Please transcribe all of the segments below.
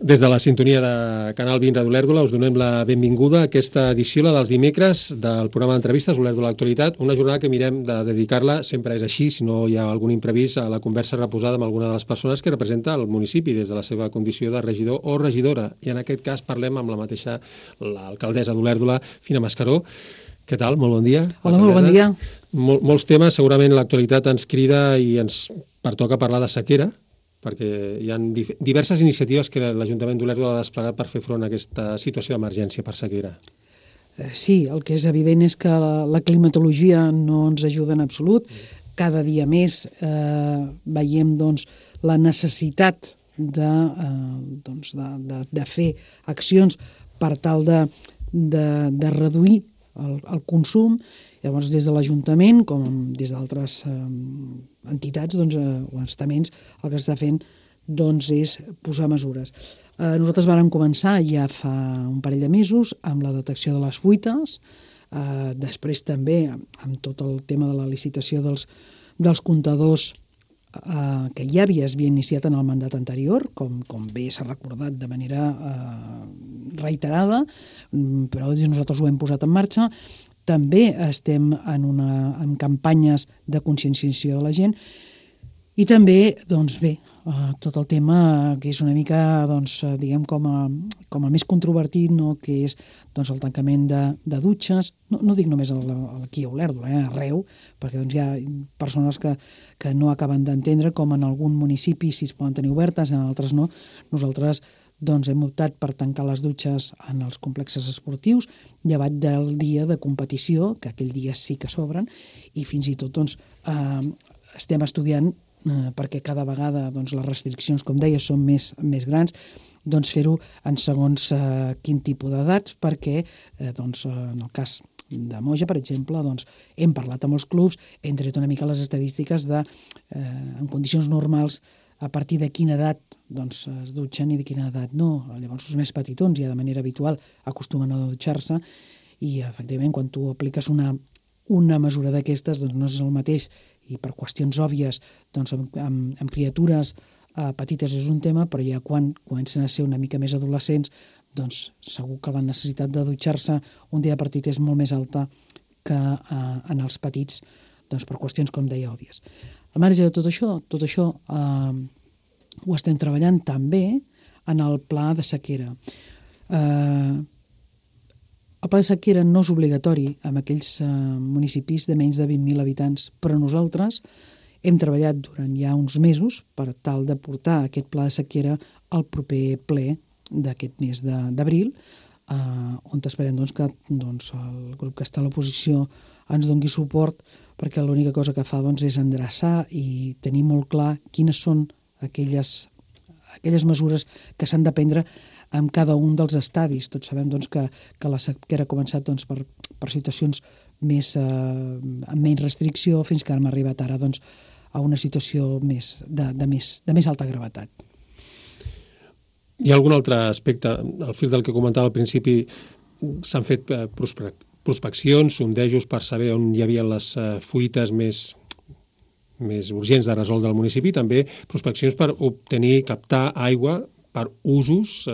Des de la sintonia de Canal 20 Ràdio Olèrdola us donem la benvinguda a aquesta edició, la dels dimecres, del programa d'entrevistes Olèrdola Actualitat, una jornada que mirem de dedicar-la, sempre és així, si no hi ha algun imprevist, a la conversa reposada amb alguna de les persones que representa el municipi des de la seva condició de regidor o regidora. I en aquest cas parlem amb la mateixa l'alcaldessa d'Olèrdola, Fina Mascaró. Què tal? Molt bon dia. Hola, molt bon dia. Molts temes, segurament l'actualitat ens crida i ens pertoca parlar de sequera, perquè hi ha diverses iniciatives que l'Ajuntament d'Olèrdola ha desplegat per fer front a aquesta situació d'emergència per sequera. Sí, el que és evident és que la climatologia no ens ajuda en absolut. Cada dia més veiem la necessitat de fer accions per tal de reduir el consum. Llavors, des de l'Ajuntament, com des d'altres entitats o estaments, el que s'està fent és posar mesures. Nosaltres vàrem començar ja fa un parell de mesos amb la detecció de les fuites, després també amb tot el tema de la licitació dels comptadors que ja es havia iniciat en el mandat anterior, com bé s'ha recordat de manera reiterada, però nosaltres ho hem posat en marxa. També estem en campanyes de conscienciació de la gent i també, tot el tema que és una mica, diguem, com a més controvertit, que és el tancament de dutxes. No dic només aquí a Olèrdola, arreu, perquè hi ha persones que no acaben d'entendre com en algun municipi sí es poden tenir obertes, en altres no. Nosaltres hem optat per tancar les dutxes en els complexes esportius, llevat del dia de competició, que aquell dia sí que s'obren, i fins i tot estem estudiant, perquè cada vegada les restriccions, com deia, són més grans, fer-ho en segons quin tipus d'edats, perquè en el cas de Moja, per exemple, hem parlat amb els clubs, hem tret una mica les estadístiques en condicions normals a partir de quina edat es dutxen i de quina edat no. Llavors els més petitons ja de manera habitual acostumen a dutxar-se i efectivament quan tu apliques una mesura d'aquestes no és el mateix i per qüestions òbvies amb criatures petites és un tema, però ja quan comencen a ser una mica més adolescents segur que la necessitat de dutxar-se un dia partit és molt més alta que en els petits per qüestions, com deia, òbvies. Al marge de tot això ho estem treballant també en el pla de sequera. El pla de sequera no és obligatori en aquells municipis de menys de 20.000 habitants, però nosaltres hem treballat durant ja uns mesos per tal de portar aquest pla de sequera al proper ple d'aquest mes d'abril, on esperem que el grup que està a l'oposició ens doni suport, perquè l'única cosa que fa és endreçar i tenir molt clar quines són aquelles mesures que s'han de prendre en cada un dels estadis. Tots sabem que la sequera ha començat per situacions amb menys restricció fins que hem arribat ara a una situació de més alta gravetat. Hi ha algun altre aspecte? Al fil del que comentava al principi, s'han fet prospeccions, sondejos per saber on hi havia les fuites més urgents de resoldre al municipi, també prospeccions per captar aigua per usos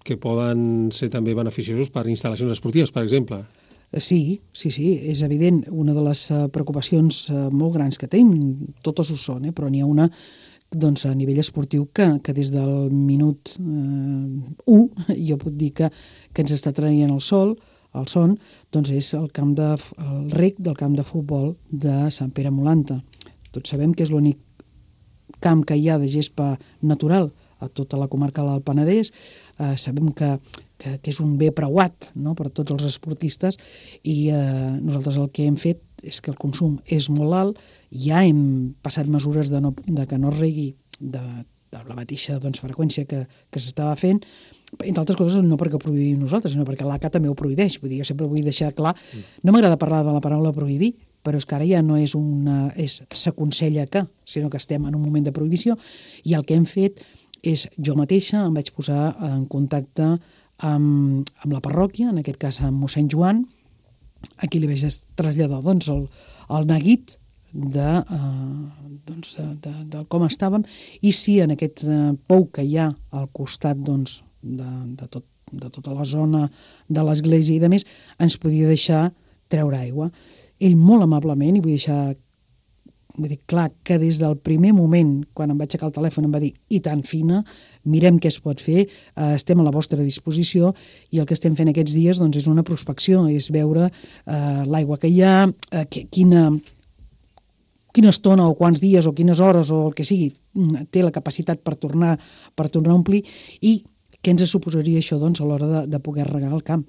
que poden ser també beneficiosos per instal·lacions esportives, per exemple. Sí, és evident. Una de les preocupacions molt grans que tenim, totes ho són, però n'hi ha una a nivell esportiu que des del minut 1 jo puc dir que ens està traient el son, és el rec del camp de futbol de Sant Pere Molanta. Tots sabem que és l'únic camp que hi ha de gespa natural a tota la comarca del Penedès. Sabem que és un bé preuat per tots els esportistes i nosaltres el que hem fet és que el consum és molt alt, ja hem passat mesures de que no es regui de la mateixa freqüència que s'estava fent, entre altres coses no perquè ho prohibim nosaltres, sinó perquè l'ACA també ho prohibeix. Vull dir, jo sempre vull deixar clar, no m'agrada parlar de la paraula prohibir, però és que ara ja no és s'aconsella que, sinó que estem en un moment de prohibició i el que hem fet és, jo mateixa em vaig posar en contacte amb la parròquia, en aquest cas amb mossèn Joan, a qui li vaig traslladar el neguit de com estàvem, i si en aquest pou que hi ha al costat de tota la zona de l'església i de més, ens podia deixar treure aigua. Ell molt amablement, i vull dir clar que des del primer moment, quan em vaig aixecar el telèfon, em va dir, i tan fina, mirem què es pot fer, estem a la vostra disposició, i el que estem fent aquests dies és una prospecció, és veure l'aigua que hi ha, quina estona o quants dies o quines hores o el que sigui té la capacitat per tornar a omplir, i què ens suposaria això a l'hora de poder regar el camp.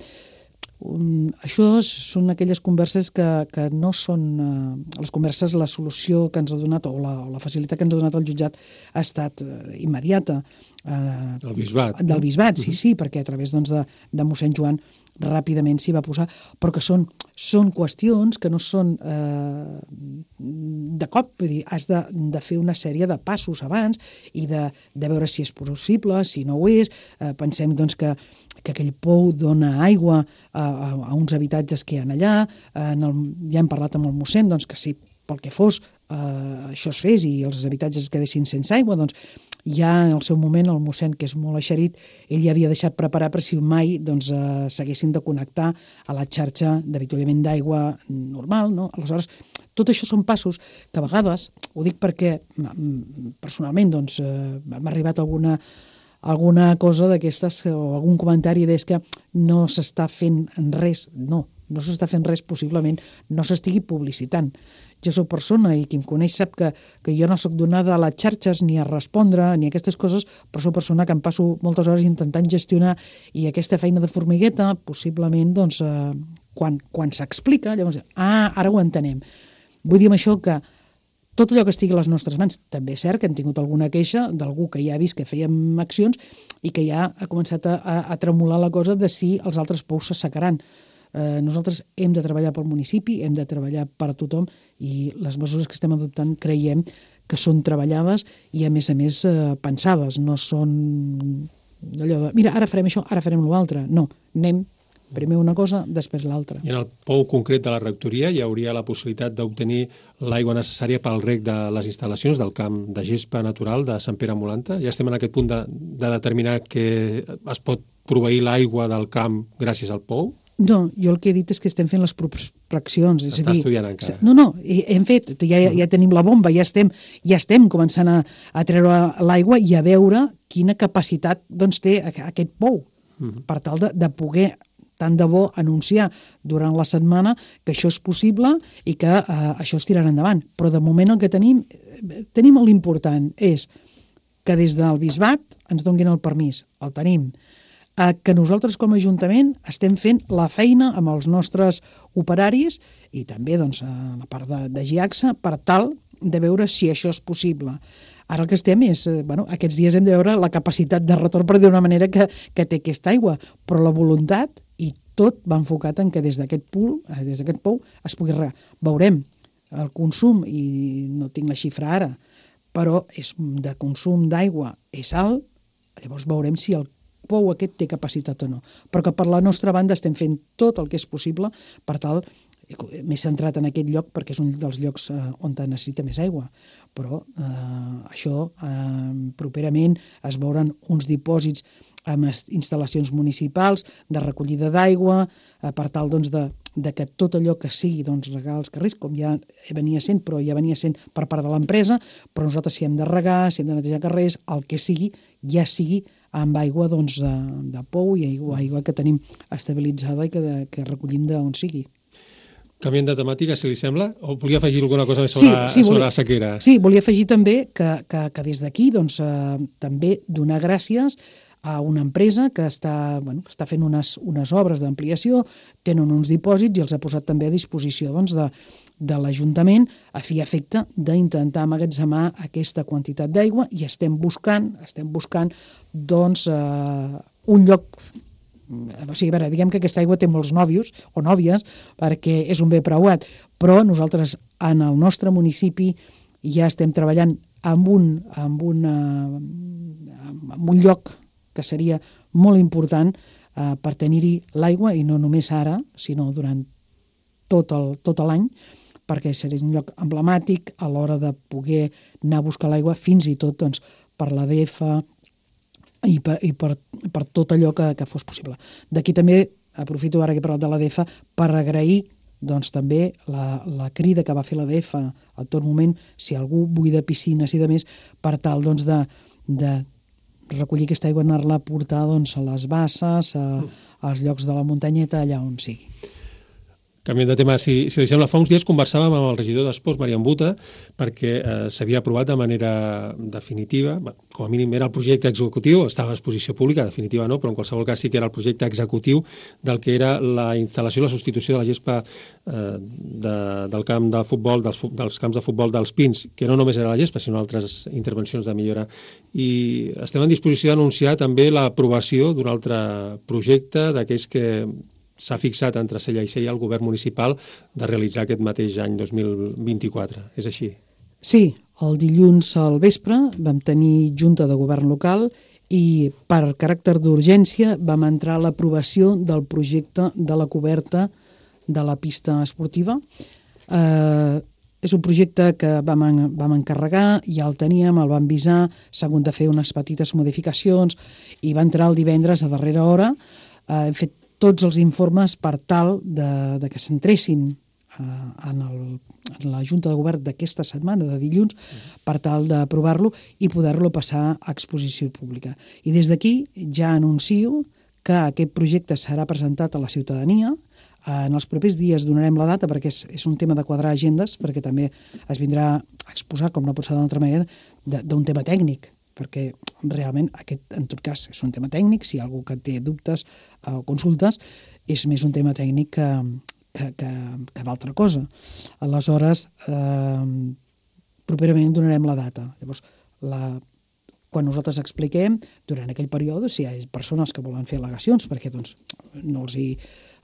Això són aquelles converses que no són... les converses, la solució que ens ha donat o la facilitat que ens ha donat el jutjat ha estat immediata. Del bisbat. Del bisbat, sí, perquè a través de mossèn Joan ràpidament s'hi va posar, però que són qüestions que no són de cop, vull dir, has de fer una sèrie de passos abans i de veure si és possible, si no ho és. Pensem que aquell pou dona aigua a uns habitatges que hi ha allà, ja hem parlat amb el mossèn que si pel que fos això es fes i els habitatges es quedessin sense aigua, ja en el seu moment el mossèn, que és molt eixerit, ell ja havia deixat preparar per si mai s'haguessin de connectar a la xarxa d'avituallament d'aigua normal, no? Aleshores, tot això són passos que a vegades, ho dic perquè personalment m'ha arribat alguna cosa d'aquestes o algun comentari és que no s'està fent res. No s'està fent res, possiblement no s'estigui publicitant. Jo soc persona i qui em coneix sap que jo no soc donada a les xarxes ni a respondre ni a aquestes coses, però soc persona que em passo moltes hores intentant gestionar, i aquesta feina de formigueta possiblement quan s'explica llavors, ara ho entenem. Vull dir amb això que tot allò que estigui a les nostres mans, també és cert que hem tingut alguna queixa d'algú que ja ha vist que fèiem accions i que ja ha començat a tremolar la cosa de si els altres pous s'assecaran. Nosaltres hem de treballar pel municipi, hem de treballar per a tothom, i les mesures que estem adoptant creiem que són treballades i a més pensades, no són allò de mira, ara farem això, ara farem l'altre. No, anem primer una cosa, després l'altra. I en el pou concret de la rectoria hi hauria la possibilitat d'obtenir l'aigua necessària pel reg de les instal·lacions del camp de gespa natural de Sant Pere Molanta? Ja estem en aquest punt de determinar que es pot proveir l'aigua del camp gràcies al pou? No, jo el que he dit és que estem fent les prospeccions. Està estudiant encara. No, hem fet, ja tenim la bomba, ja estem començant a treure l'aigua i a veure quina capacitat té aquest pou, per tal de poder, tant de bo, anunciar durant la setmana que això és possible i que això es tirarà endavant. Però de moment el que tenim l'important és que des del bisbat ens donguin el permís, el tenim, que nosaltres com a Ajuntament estem fent la feina amb els nostres operaris i també a la part de GIACSA per tal de veure si això és possible. Ara el que estem és, aquests dies hem de veure la capacitat de retorn per dir d'una manera que té aquesta aigua, però la voluntat i tot va enfocat en que des d'aquest pou es pugui regar. Veurem el consum, i no tinc la xifra ara, però de consum d'aigua és alt, llavors veurem si el pou aquest té capacitat o no. Però que per la nostra banda estem fent tot el que és possible per tal, m'he centrat en aquest lloc perquè és un dels llocs on necessita més aigua, però això properament es veuran uns dipòsits amb instal·lacions municipals de recollida d'aigua per tal de que tot allò que sigui regar els carrers, com ja venia sent, però ja venia sent per part de l'empresa, però nosaltres si hem de regar, si hem de netejar carrers, el que sigui, ja sigui amb aigua de pou i aigua que tenim estabilitzada i que recollim d'on sigui. Canviant de temàtica, si li sembla, o volia afegir alguna cosa més sobre la sequera? Sí, volia afegir també que des d'aquí també donar gràcies a una empresa que està fent unes obres d'ampliació, tenen uns dipòsits i els ha posat també a disposició de l'Ajuntament a fi i efecte d'intentar emmagatzemar aquesta quantitat d'aigua, i estem buscant un lloc. O sigui, diguem que aquesta aigua té molts nòvios o nòvies perquè és un bé preuat, però nosaltres en el nostre municipi ja estem treballant amb un lloc que seria molt important per tenir-hi l'aigua, i no només ara, sinó durant tot l'any, perquè seria un lloc emblemàtic a l'hora de poder anar a buscar l'aigua, fins i tot doncs, per l'ADF i per tot allò que fos possible. D'aquí també aprofito ara que he parlat de l'ADF per agrair doncs també la crida que va fer l'ADF a tot moment, si algú buida piscines i de més, per tal doncs, de recollir aquesta aigua, anar-la a portar doncs, a les basses, als llocs de la muntanyeta, allà on sigui. Canviant de tema, si li sembla, fa uns dies conversàvem amb el regidor d'Esports, Marian Buta, perquè s'havia aprovat de manera definitiva, com a mínim era el projecte executiu, estava a exposició pública, definitiva no, però en qualsevol cas sí que era el projecte executiu del que era la instal·lació i la substitució de la gespa del camp de futbol, dels camps de futbol dels Pins, que no només era la gespa, sinó altres intervencions de millora. I estem en disposició d'anunciar també l'aprovació d'un altre projecte d'aquells que s'ha fixat entre Sella i Sella el govern municipal de realitzar aquest mateix any 2024. És així? Sí, el dilluns al vespre vam tenir junta de govern local i per caràcter d'urgència vam entrar a l'aprovació del projecte de la coberta de la pista esportiva. És un projecte que vam encarregar, ja el teníem, el vam visar, s'ha hagut de fer unes petites modificacions i va entrar el divendres a darrera hora. Hem fet tots els informes per tal de que s'entressin en la Junta de Govern d'aquesta setmana, de dilluns, per tal d'aprovar-lo i poder-lo passar a exposició pública. I des d'aquí ja anuncio que aquest projecte serà presentat a la ciutadania. En els propers dies donarem la data perquè és un tema de quadrar agendes, perquè també es vindrà a exposar, com no pot ser d'una altra manera, d'un tema tècnic, perquè realment aquest, en tot cas, és un tema tècnic. Si hi ha algú que té dubtes o consultes, és més un tema tècnic que d'altra cosa. Aleshores, properament donarem la data. Llavors, quan nosaltres expliquem, durant aquell període, si hi ha persones que volen fer al·legacions, perquè doncs, no els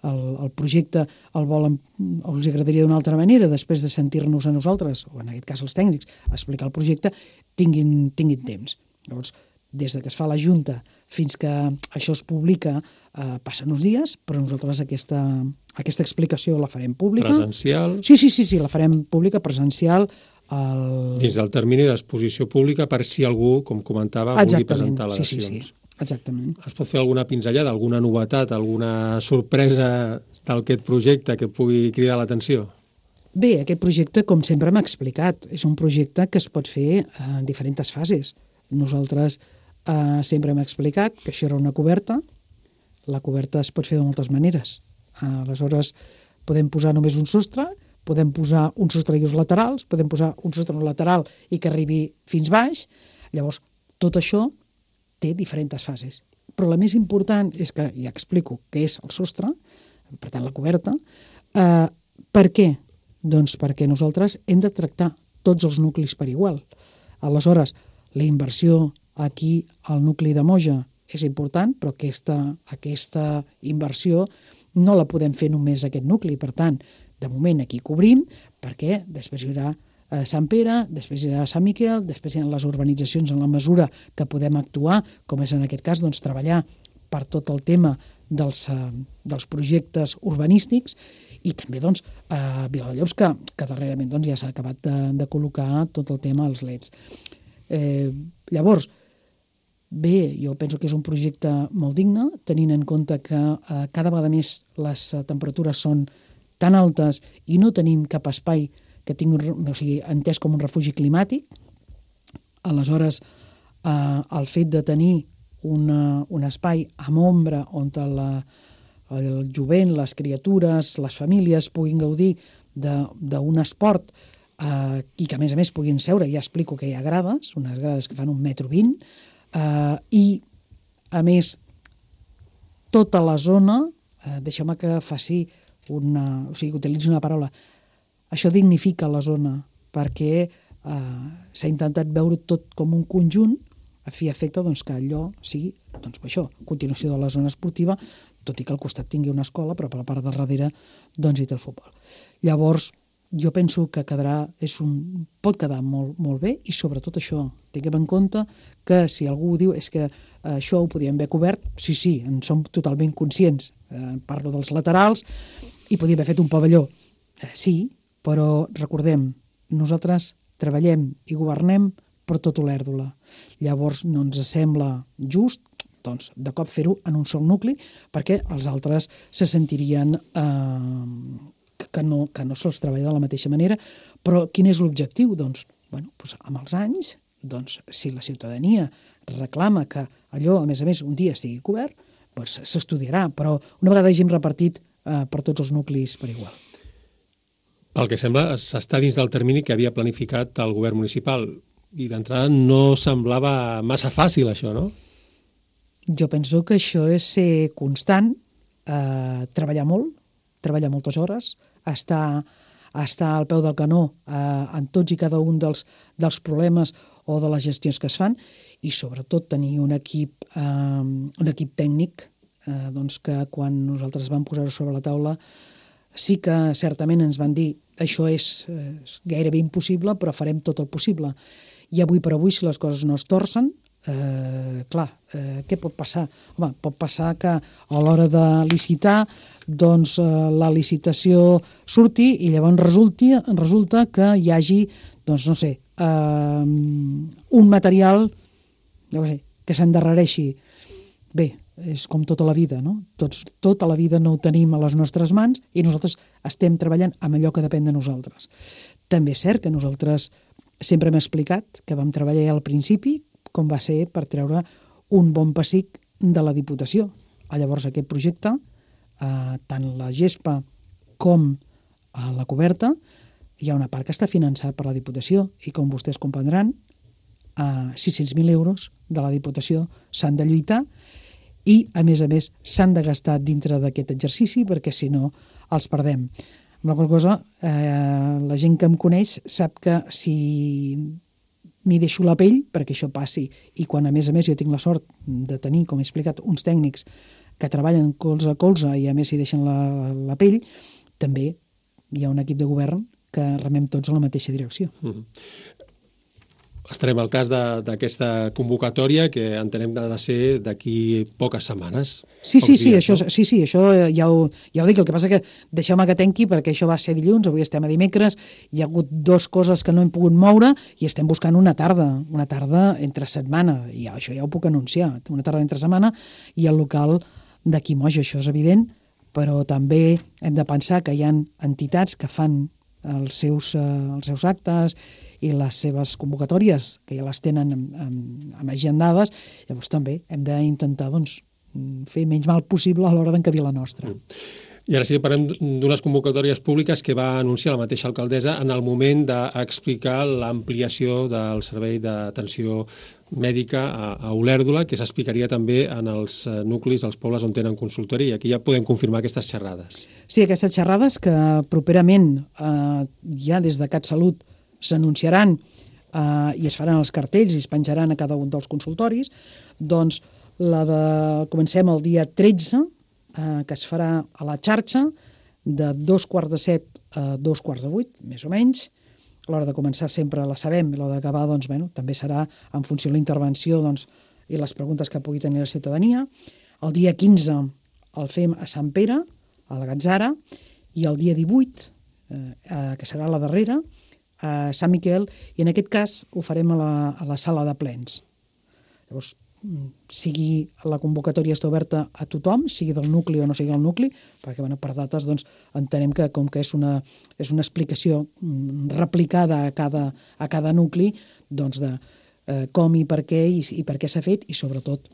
el projecte els agradaria d'una altra manera, després de sentir-nos a nosaltres, o en aquest cas els tècnics, explicar el projecte, tinguin temps. Llavors, des de que es fa la Junta fins que això es publica, passen uns dies, però nosaltres aquesta explicació la farem pública. Presencial? Sí, la farem pública, presencial. Dins del termini d'exposició pública per si algú, com comentava, vulgui presentar al·legacions. Sí. Exactament. Es pot fer alguna pinzellada, alguna novetat, alguna sorpresa d'aquest projecte que pugui cridar l'atenció? Bé, aquest projecte, com sempre hem explicat, és un projecte que es pot fer en diferents fases. Nosaltres sempre hem explicat que això era una coberta. La coberta es pot fer de moltes maneres. Aleshores, podem posar només un sostre, podem posar un sostre i uns laterals, podem posar un sostre lateral i que arribi fins baix. Llavors, tot això té diferents fases. Però la més important és que, ja explico què és el sostre, per tant la coberta. Per què? Doncs perquè nosaltres hem de tractar tots els nuclis per igual. Aleshores, la inversió aquí al nucli de Moja és important, però aquesta inversió no la podem fer només aquest nucli. Per tant, de moment aquí cobrim, perquè després hi haurà Sant Pere, després hi ha Sant Miquel, després hi ha les urbanitzacions en la mesura que podem actuar, com és en aquest cas doncs, treballar per tot el tema dels projectes urbanístics i també doncs, a Viladellobs, que darrerament doncs, ja s'ha acabat de col·locar tot el tema als leds. Llavors, bé, jo penso que és un projecte molt digne, tenint en compte que cada vegada més les temperatures són tan altes i no tenim cap espai que tingui entès com un refugi climàtic. Aleshores, el fet de tenir un espai amb ombra on el jovent, les criatures, les famílies puguin gaudir d'un esport i que a més puguin seure, ja explico que hi ha grades, unes grades que fan 1,20 m, i a més tota la zona, deixeu-me que faci que utilitzi una paraula, això dignifica la zona, perquè s'ha intentat veure tot com un conjunt, a fi i efecte doncs, que allò sigui continuació de la zona esportiva, tot i que al costat tingui una escola, però per la part de darrere doncs, hi té el futbol. Llavors, jo penso que pot quedar molt, molt bé, i sobretot això, tinguem en compte que si algú diu és que això ho podíem haver cobert, sí, en som totalment conscients. Parlo dels laterals, i podíem haver fet un pavelló. Sí, però recordem, nosaltres treballem i governem per tot Olèrdola. Llavors no ens sembla just doncs, de cop fer-ho en un sol nucli, perquè els altres se sentirien que no se'ls treballa de la mateixa manera. Però quin és l'objectiu? Doncs, amb els anys, si la ciutadania reclama que allò, a més, un dia estigui cobert, s'estudiarà, però una vegada hàgim repartit per tots els nuclis per igual. Pel que sembla, s'està dins del termini que havia planificat el govern municipal i d'entrada no semblava massa fàcil això, no? Jo penso que això és ser constant, treballar molt, treballar moltes hores, estar al peu del canó en tots i cada un dels problemes o de les gestions que es fan i sobretot tenir un equip tècnic que quan nosaltres vam posar-ho sobre la taula sí que certament ens van dir això és gairebé impossible però farem tot el possible. I avui per avui, si les coses no es torcen, què pot passar? Home, pot passar que a l'hora de licitar la licitació surti i llavors resulta que hi hagi, un material que s'endarrereixi. Bé, és com tota la vida, no? Tota la vida no ho tenim a les nostres mans i nosaltres estem treballant amb allò que depèn de nosaltres. També és cert que nosaltres sempre hem explicat que vam treballar al principi com va ser per treure un bon pessic de la Diputació. Llavors aquest projecte, tant la gespa com la coberta, hi ha una part que està finançada per la Diputació i com vostès comprendran, 600.000 euros de la Diputació s'han de lluitar i, a més, s'han de gastar dintre d'aquest exercici perquè, si no, els perdem. Amb la qual cosa, la gent que em coneix sap que si m'hi deixo la pell perquè això passi i quan, a més, jo tinc la sort de tenir, com he explicat, uns tècnics que treballen colze a colze i, a més, s'hi deixen la pell, també hi ha un equip de govern que remem tots a la mateixa direcció. Estarem al cas d'aquesta convocatòria que entenem que ha de ser d'aquí poques setmanes. Sí, això ja ho dic. El que passa que deixeu-me que tanqui perquè això va ser dilluns, avui estem a dimecres, hi ha hagut dues coses que no hem pogut moure i estem buscant una tarda entre setmana, i això ja ho puc anunciar, una tarda entre setmana i el local d'aquí Moix, això és evident, però també hem de pensar que hi ha entitats que fan els seus actes i les seves convocatòries, que ja les tenen agendades, llavors també hem d'intentar fer menys mal possible a l'hora d'encabir la nostra. I ara sí que parlem d'unes convocatòries públiques que va anunciar la mateixa alcaldessa en el moment d'explicar l'ampliació del servei d'atenció mèdica a Olèrdola, que s'explicaria també en els nuclis dels pobles on tenen consultori, i aquí ja podem confirmar aquestes xerrades. Sí, aquestes xerrades que properament ja des de CatSalut s'anunciaran i es faran els cartells i es penjaran a cada un dels consultoris, doncs comencem el dia 13, que es farà a la xarxa de 6:45 a 7:45, més o menys. A l'hora de començar sempre la sabem, a l'hora d'acabar també serà en funció de la intervenció i les preguntes que pugui tenir la ciutadania. El dia 15 el fem a Sant Pere, a la Gatzara, i el dia 18, que serà la darrera, a Sant Miquel, i en aquest cas ho farem a la sala de plens. Llavors, sigui la convocatòria està oberta a tothom, sigui del nucli o no sigui del nucli, perquè per dates entenem que com que és una explicació replicada a cada nucli de com i per què i per què s'ha fet, i sobretot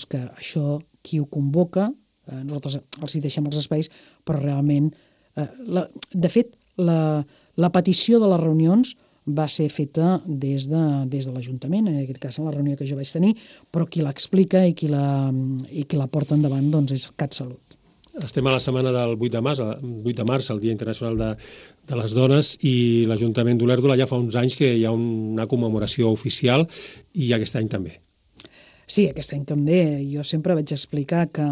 que això qui ho convoca, nosaltres els hi deixem els espais, però realment, de fet, la petició de les reunions va ser feta des de l'Ajuntament, en aquest cas en la reunió que jo vaig tenir, però qui l'explica i qui la porta endavant és CatSalut. Estem a la setmana del 8 de març, el Dia Internacional de les Dones, i l'Ajuntament d'Olèrdola ja fa uns anys que hi ha una commemoració oficial, i aquest any també. Sí, aquest any també. Jo sempre vaig explicar que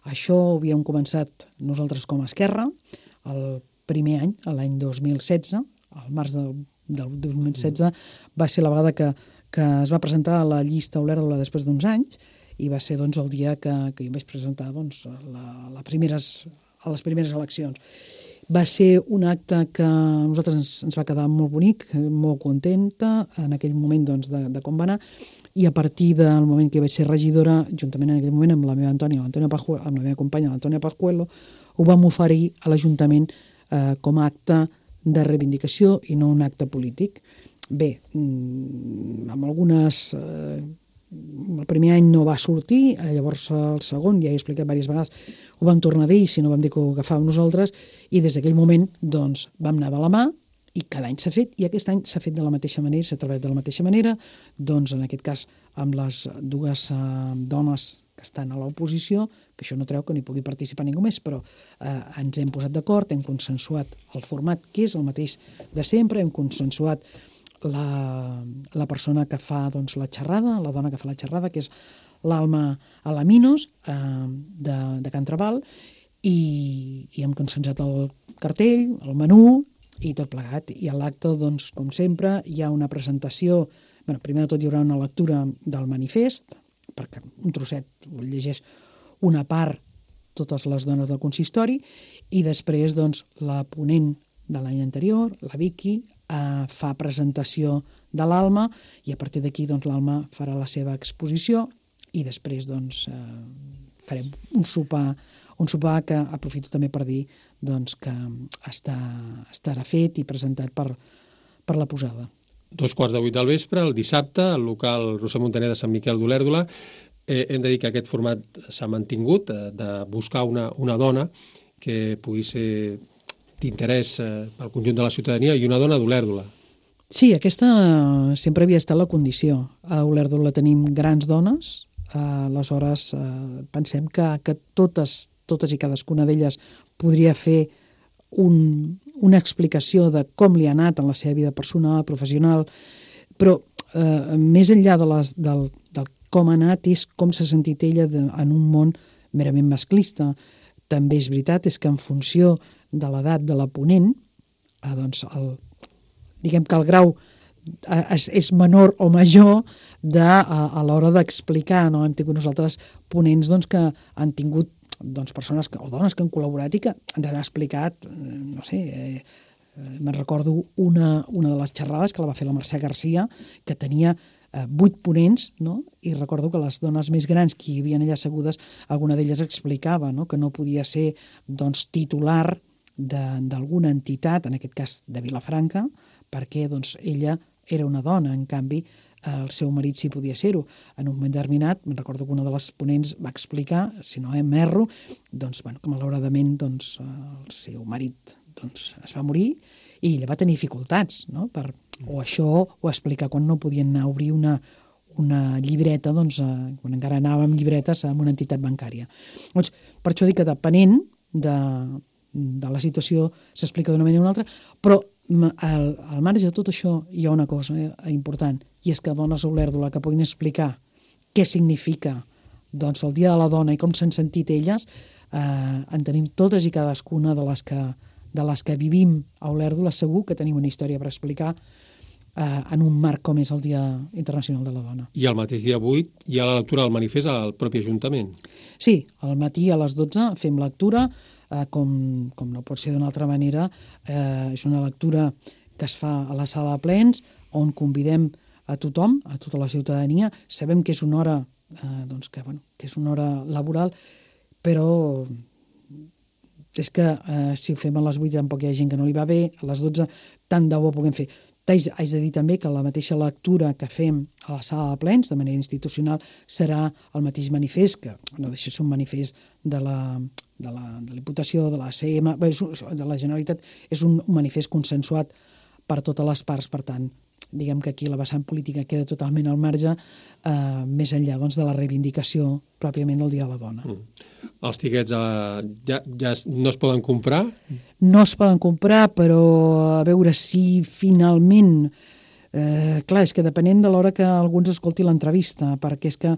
això ho havíem començat nosaltres com a Esquerra, el primer any, l'any 2016, al març del 2016, va ser la vegada que es va presentar la llista Olèrdola després d'uns anys, i va ser el dia que jo em vaig presentar a les primeres eleccions. Va ser un acte que a nosaltres ens va quedar molt bonic, molt contenta en aquell moment doncs, de com va anar, i a partir del moment que vaig ser regidora, juntament en aquell moment amb la meva Antònia, amb la meva companya, l'Antònia Pajuelo, ho vam oferir a l'Ajuntament com a acte de reivindicació i no un acte polític. Bé, amb algunes... El primer any no va sortir, llavors el segon, ja he explicat diverses vegades, ho vam tornar a dir, si no vam dir que ho agafàvem nosaltres, i des d'aquell moment doncs, vam anar de la mà, i cada any s'ha fet, i aquest any s'ha fet de la mateixa manera, s'ha treballat de la mateixa manera, doncs en aquest cas amb les dues dones que estan a l'oposició, que això no treu que no hi pugui participar ningú més, però ens hem posat d'acord, hem consensuat el format que és el mateix de sempre, hem consensuat la persona que fa doncs, la xerrada, la dona que fa la xerrada, que és l'Alma Alaminos, de Can Trabal, i hem consensuat el cartell, el menú, i tot plegat. I a l'acte, doncs, com sempre, hi ha una presentació, primer de tot hi haurà una lectura del manifest, perquè un trosset llegeix una part totes les dones del consistori, i després doncs, la ponent de l'any anterior, la Vicky, fa presentació de l'Alma, i a partir d'aquí doncs, l'Alma farà la seva exposició, i després doncs, farem un sopar que aprofito també per dir doncs, que estarà fet i presentat per la posada. 2:15 del vespre, el dissabte, al local Roser Montaner de Sant Miquel d'Olèrdola. Hem de dir que aquest format s'ha mantingut, de buscar una dona que pugui ser d'interès al conjunt de la ciutadania i una dona d'Olèrdola. Sí, aquesta sempre havia estat la condició. A Olèrdola tenim grans dones, aleshores pensem que totes i cadascuna d'elles podria fer una explicació de com li ha anat en la seva vida personal, professional, però més enllà del com ha anat és com s'ha sentit ella en un món merament masclista. També és veritat que en funció de l'edat de la ponent, doncs diguem que el grau és menor o major a l'hora d'explicar. No? Hem tingut nosaltres ponents doncs, que han tingut persones o dones que han col·laborat i que ens han explicat, no sé, me'n recordo una de les xerrades que la va fer la Mercè Garcia, que tenia 8 ponents, no? I recordo que les dones més grans que hi havia allà assegudes, alguna d'elles explicava, no? Que no podia ser doncs, titular d'alguna entitat, en aquest cas de Vilafranca, perquè doncs, ella era una dona, en canvi el seu marit sí podia ser-ho. En un moment determinat, me'n recordo que una de les ponents va explicar, si no m'erro, doncs, que malauradament doncs, el seu marit doncs, es va morir i ella va tenir dificultats, no? O això, o explicar quan no podien anar a obrir una llibreta, doncs, quan encara anàvem llibretes a una entitat bancària. Doncs, per això dic que depenent de la situació s'explica d'una manera o una altra, però al marge de tot això hi ha una cosa important, i és que dones a Olèrdola que puguin explicar què significa doncs, el Dia de la Dona i com s'han sentit elles, en tenim totes i cadascuna de les que vivim a Olèrdola. Segur que tenim una història per explicar en un marc com és el Dia Internacional de la Dona. I el mateix dia 8 hi ha la lectura del manifest al propi Ajuntament. Sí, al matí a les 12 fem lectura, com no pot ser d'una altra manera. És una lectura que es fa a la sala de plens, on convidem a tothom, a tota la ciutadania. Sabem que és una hora, que és una hora laboral, però és que si ho fem a les 8 tampoc hi ha gent que no li va bé, a les 12 tant de bo puguem fer. Haig de dir també que la mateixa lectura que fem a la sala de plens de manera institucional serà el mateix manifest, que no deixa de ser un manifest de la Diputació, de la CM, de la Generalitat. És un manifest consensuat per totes les parts, per tant, diguem que aquí la vessant política queda totalment al marge, més enllà doncs, de la reivindicació pròpiament del Dia de la Dona. Els tiquets ja no es poden comprar? No es poden comprar, però a veure si finalment... clar, és que depenent de l'hora que algú ens escolti l'entrevista, perquè és que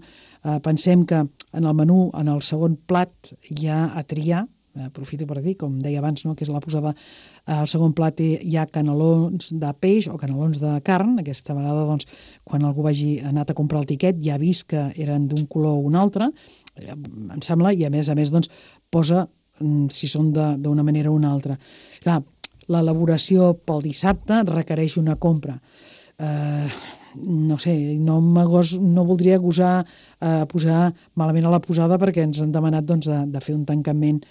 pensem que en el menú, en el segon plat, hi ha a triar, aprofito per dir, com deia abans, no, que és la posada, al segon plat hi ha canelons de peix o canelons de carn. Aquesta vegada, doncs, quan algú hagi anat a comprar el tiquet, ja ha vist que eren d'un color o un altre, em sembla, i a més, doncs, posa si són d'una manera o una altra. Clar, l'elaboració pel dissabte requereix una compra. No sé, no voldria gosar posar malament a la posada perquè ens han demanat de fer un tancament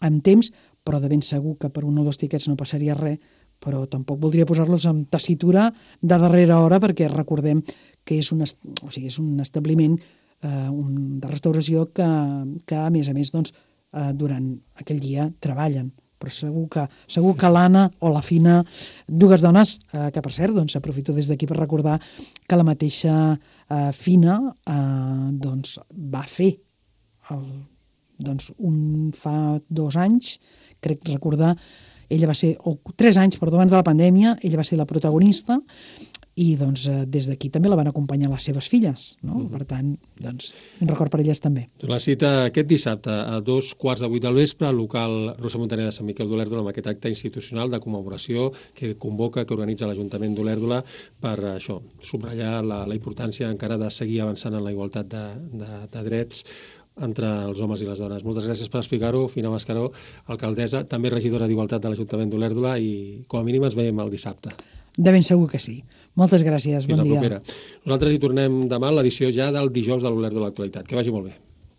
amb temps, però de ben segur que per 1 o 2 tiquets no passaria res, però tampoc voldria posar-los en tessitura de darrera hora perquè recordem que és un establiment de restauració que a més, durant aquell dia treballen. Però segur que l'Anna o la Fina, 2 dones, que per cert, aprofito des d'aquí per recordar que la mateixa Fina va fer fa 2 anys, crec recordar, ella va ser, o 3 anys, perdó, abans de la pandèmia, ella va ser la protagonista i des d'aquí també la van acompanyar les seves filles, no? Per tant, un record per elles també. La cita aquest dissabte a 7:15 del vespre al local Rosa Montaner de Sant Miquel d'Olèrdola amb aquest acte institucional de commemoració que convoca, que organitza l'Ajuntament d'Olèrdola per això, subratllar la importància encara de seguir avançant en la igualtat de drets entre els homes i les dones. Moltes gràcies per explicar-ho, Fina Mascaró, alcaldessa, també regidora d'Igualtat de l'Ajuntament d'Olèrdola, i com a mínim ens veiem el dissabte. De ben segur que sí. Moltes gràcies, bon dia. Fins la propera. Nosaltres hi tornem demà a l'edició ja del dijous de l'Olèrdola Actualitat. Que vagi molt bé.